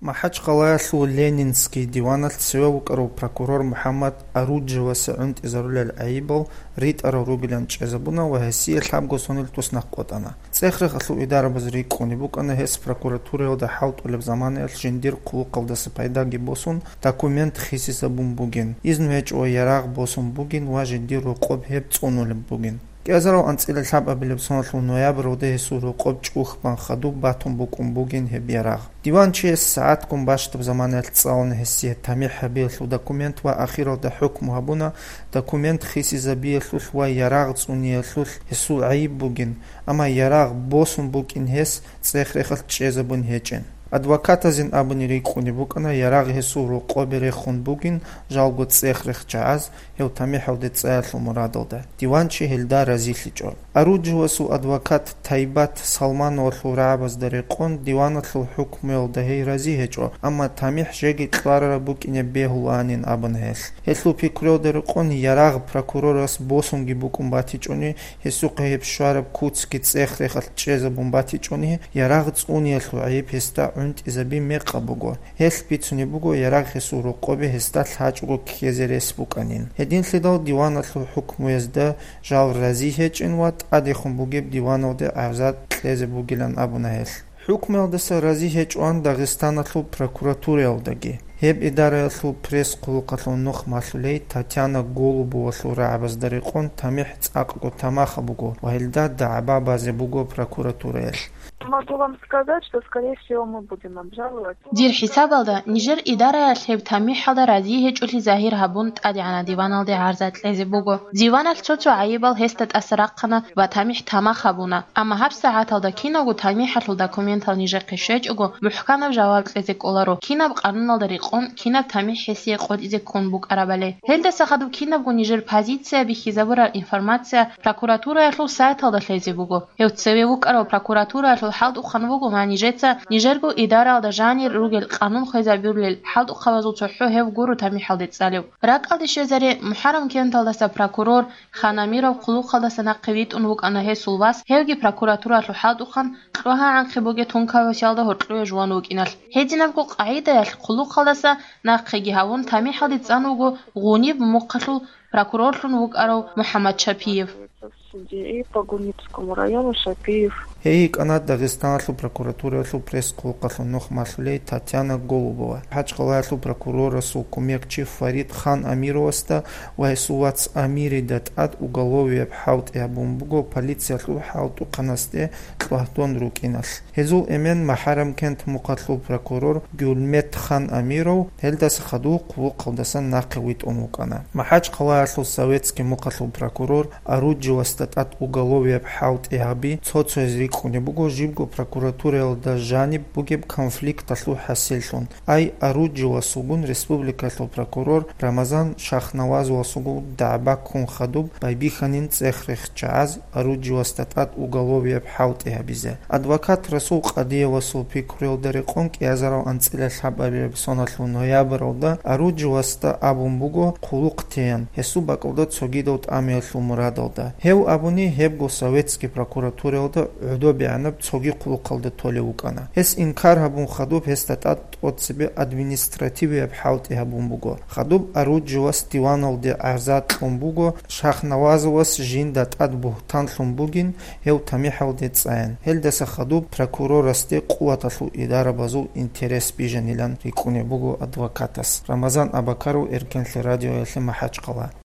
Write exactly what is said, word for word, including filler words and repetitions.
МахӀачхъалаялъул Ленинский диваналъ цеве вукӀарав прокурор МухӀаммад Аруджевасе гӀунтӀизарулел гӀайибал ритӀарал ругилан чӀезабуна ва гьесие лъабго сонил туснахъ къотӀана. ЦӀех-рехалъул идарабаз рикӀкӀунеб букӀана гьес прокуратураялда хӀалтӀулеб заманаялъ жиндир хъулухъалдаса пайдаги босун, документ хисизабун бугин, изну гьечӀо ва ярагъ босун бугин ва жиндир рокъоб гьеб цӀунулеб бугин. Кьазарав анцӀила лъабабилеб соналъул ноябралда гьесул рокъоб чӀухбан хадуб батун букӀун бугин гьеб ярагъ. Диванчияс сагӀатгун бащдаб заманаялъ цӀалуна гьесие тамихӀ гьабиялъул документ ва ахиралда хӀукму гьабуна документ хисизабиялъулъ ва ярагъ цӀуниялъулъ гьесул гӀайиб бугин, амма ярагъ босун букӀин гьес цӀех-рехалъ чӀезабун гьечӀин. Адвокатазин абуни рикӀкӀунеб букӀана ярагъ гьесул рокъобе рехун бугин жалго цӀех-рех чагӀаз, гьев тамихӀалде цӀаялъул мурадалда, диванчи гьелда разилъичӀо. Аруджевасул адвокат Тайбат Салмановалъул рагӀабазда рекъон диваналъул хӀукмуялда гьей рази гьечӀо, амма тамихӀ жеги кьварараб букӀине бегьулаанин абуна гьелъ. Гьелъул пикруялда рекъон ярагъ прокурорас босунги букӀун батичӀони, гьесухъе гьеб щвараб куцги цӀех-рехалъ чӀезабун батичӀони, ярагъ цӀуниялъул гӀайиб гьесда гӀунтӀизаби мекъаб буго. Гьелъ бицунеб буго ярагъ гьесул рокъобе гьесда лъачӀого ккезе рес букӀанин. Гьединлъидал диваналъул хӀукмуязда жал рази гьечӀин ва тӀадехун бугеб диваналде гӀарза кьезе бугилан абуна гьелъ. ХӀукмуялдаса рази гьечӀоан Дагъистаналъул прокуратураялдаги. Гьеб идараялъул пресс-хъулухъалъул нух малъулей Татьяна Голубовалъул рагӀабазда рекъон тамихӀ цӀакъго тамахаб буго ва гьелда дагӀба базе буго прокуратураялъ. Могу вам сказать, что, скорее всего, мы будем обжаловать. Дир хӀисабалда, нижер идараялъ гьеб тамихӀалда рази гьечӀолъи загьир гьабун тӀадегӀанаб диваналде гӀарза кьезе буго. Диваналъ цо-цо гӀайибал гьесда тӀаса рахъана ва тамихӀ тамах гьабуна. Амма гьабсагӀаталда киналго тамихӀалъул документал нижехъе щвечӀого, мухӀканаб жаваб кьезе кӀоларо, кинаб къануналда рекъон, кинаб тамихӀ гьесие къотӀизе ккун букӀарабали. Гьелдаса хадуб кинабго нижер позиция бихьизабураб информация прокуратураялъул сайталда лъезе буго. Гьев цеве вукӀарав прокуратураялъул хӀалтӀухъан вуго ва нижеца нижерго идараялда жанир ругел къанун хвезабулел хӀалтӀухъабазул цохӀо гьев гуро тамихӀалде цӀалев. РакӀалде щвезаре, МухӀаррам кенталдаса прокурор Хан Амиров хъулухъалдаса нахъе витӀун вукӀана гьесул вас, гьевги прокуратураялъул хӀалтӀухъан кьвагьагӀанхъе бугеб тункабасиялда гьоркьове жуван вукӀиналъ. Гьединабго къагӀидаялъ хъулухъалдаса нахъеги гьавун тамихӀалде цӀан вуго Гъуниб мухъалъул прокурорлъун вукӀарав МухӀаммад Шапиев. Судьи по Гунибскому району Шапиев. Гьей йикӀана Дагъистаналъул прокуратураялъул пресс-хъулухъалъул нух малъулей Татьяна Голубова. МахӀачхъалаялъул прокурорасул кумекчи Фарид Хан Амировасда ва гьесул вац Амирида тӀад уголовияб хӀалтӀи гьабун буго полициялъул хӀалтӀухъанасде кьвагьдон рукӀиналъ. Гьезул эмен МухӀаррамкент мухъалъул прокурор Гюльмет Хан Амиров гьелдаса хадуб хъулухъалдасан нахъе витӀун вукӀана. МахӀачхъалаялъул Советский мухъалъул прокурор Аруджевасда тӀад уголовияб хӀалтӀи гьаби цо-цояз рикӀкӀунеб буго жибго прокуратураялда жаниб бугеб конфликталъул хӀасиллъун. Ай Аруджевасулгун республикалъул прокурор Рамазан Шахнавазовасулгун дагӀба ккун хадуб байбихьанин цӀех-рех чагӀаз Аруджевасда тӀад уголовияб хӀалтӀи гьабизе. Адвокат Расул Къадиевасул пикруялда рекъон кӀиазарав анцӀила лъабабилеб соналъул ноябралда Аруджевасда абун буго хъулухъ теян, гьесул бакӀалда цогидал тӀамиялъул мурадалда. Гьев абуни, гьебго советский прокуратураялда гӀодобегӀанаб цоги хъулухъалда толев вукӀана. Гьес инкар гьабун хадуб гьесда тӀад тӀоцебе административияб хӀалтӀи гьабун буго. Хадуб Аруджевас диваналде гӀарза кьун буго, Шахнавазовас жинда тӀад бугьтанлъун бугин, гьев тамихӀалде цӀаян. Гьелдаса хадуб прокурорасде къуваталъул идарабазул интерес бижанилан рикӀкӀунеб буго адвокатас. Рамазан Абакаров, Эркенлъи радиоялъе, МахӀачхъала.